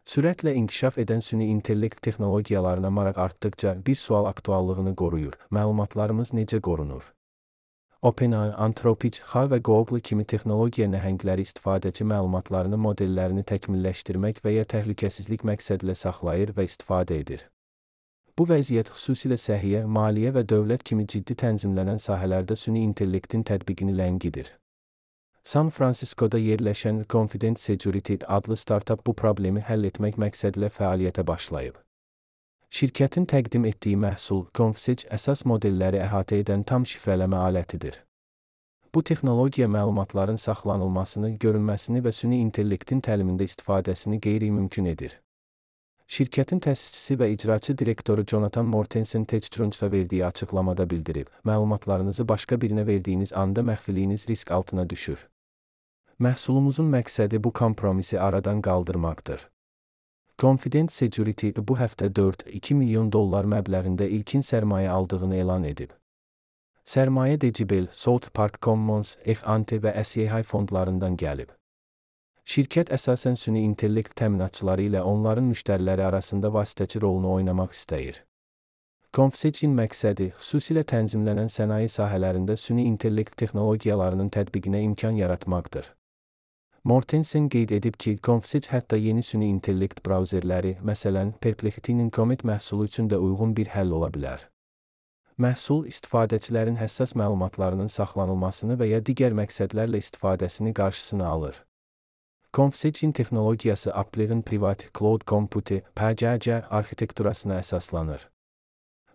Sürətlə inkişaf edən süni intellekt texnologiyalarına maraq artdıkca bir sual aktuallığını qoruyur: məlumatlarımız necə qorunur? OpenAI, Anthropic, Xa və Google kimi texnologiya nəhəngləri istifadəçi məlumatlarını modellərini təkmilləşdirmək və ya təhlükəsizlik məqsədilə saxlayır və istifadə edir. Bu vəziyyət xüsusilə səhiyyə, maliyyə və dövlət kimi ciddi tənzimlənən sahələrdə süni intellektin tətbiqini ləngidir. San Franciscoda yerləşən Confident Security adlı startap bu problemi həll etmək məqsədilə fəaliyyətə başlayıb. Şirkətin təqdim etdiyi məhsul ConfSec əsas modelləri əhatə edən tam şifrələmə alətidir. Bu texnologiya məlumatların saxlanılmasını, görünməsini və süni intellektin təlimində istifadəsini qeyri-mümkün edir. Şirkətin təsisçisi və icraçı direktoru Jonathan Mortensen TechCrunch'a verdiyi açıqlamada bildirib: məlumatlarınızı başqa birinə verdiyiniz anda məxfiliyiniz risk altına düşür. Məhsulumuzun məqsədi bu kompromisi aradan qaldırmaqdır. Confident Security bu həftə $4,2 milyon məbləğində ilkin sərmayə aldığını elan edib. Sərmayə Decibel, South Park Commons, F-Ante və SEI fondlarından gəlib. Şirkət əsasən süni intellekt təminatçıları ilə onların müştəriləri arasında vasitəçi rolunu oynamaq istəyir. ConfSec'in məqsədi xüsusilə tənzimlənən sənaye sahələrində süni intellekt texnologiyalarının tətbiqinə imkan yaratmaqdır. Mortensen qeyd edib ki, ConfSec hətta yeni süni intellekt brauzerləri, məsələn, Perplexity'nin Comet məhsulu üçün də uyğun bir həll ola bilər. Məhsul istifadəçilərin həssas məlumatlarının saxlanılmasını və ya digər məqsədlərlə istifadəsini qarşısını alır. ConfSec'in texnologiyası Apple'ın Private Cloud Compute (PCC) arxitekturasına əsaslanır.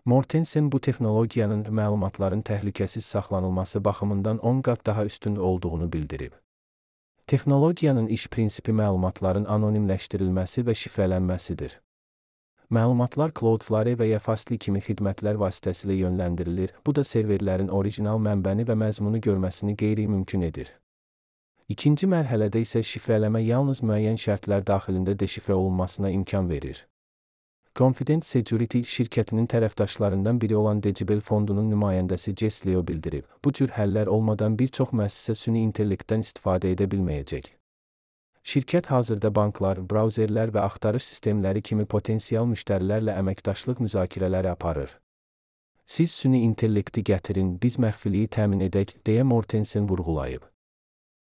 Mortensen bu texnologiyanın məlumatların təhlükəsiz saxlanılması baxımından 10 qat daha üstün olduğunu bildirib. Texnologiyanın iş prinsipi məlumatların anonimləşdirilməsi və şifrələnməsidir. Məlumatlar Cloudflare və ya Fastly kimi xidmətlər vasitəsilə yönləndirilir, bu da serverlərin orijinal mənbəni və məzmunu görməsini qeyri-mümkün edir. İkinci mərhələdə isə şifrələmə yalnız müəyyən şərtlər daxilində deşifrə olunmasına imkan verir. Confident Security şirkətinin tərəfdaşlarından biri olan Decibel fondunun nümayəndəsi Jess Leo bildirib: bu cür həllər olmadan bir çox müəssisə süni intellektdən istifadə edə bilməyəcək. Şirkət hazırda banklar, brauzerlər və axtarış sistemləri kimi potensial müştərilərlə əməkdaşlıq müzakirələri aparır. Siz süni intellekti gətirin, biz məxfiliyi təmin edək, deyə Mortensen vurğulayıb.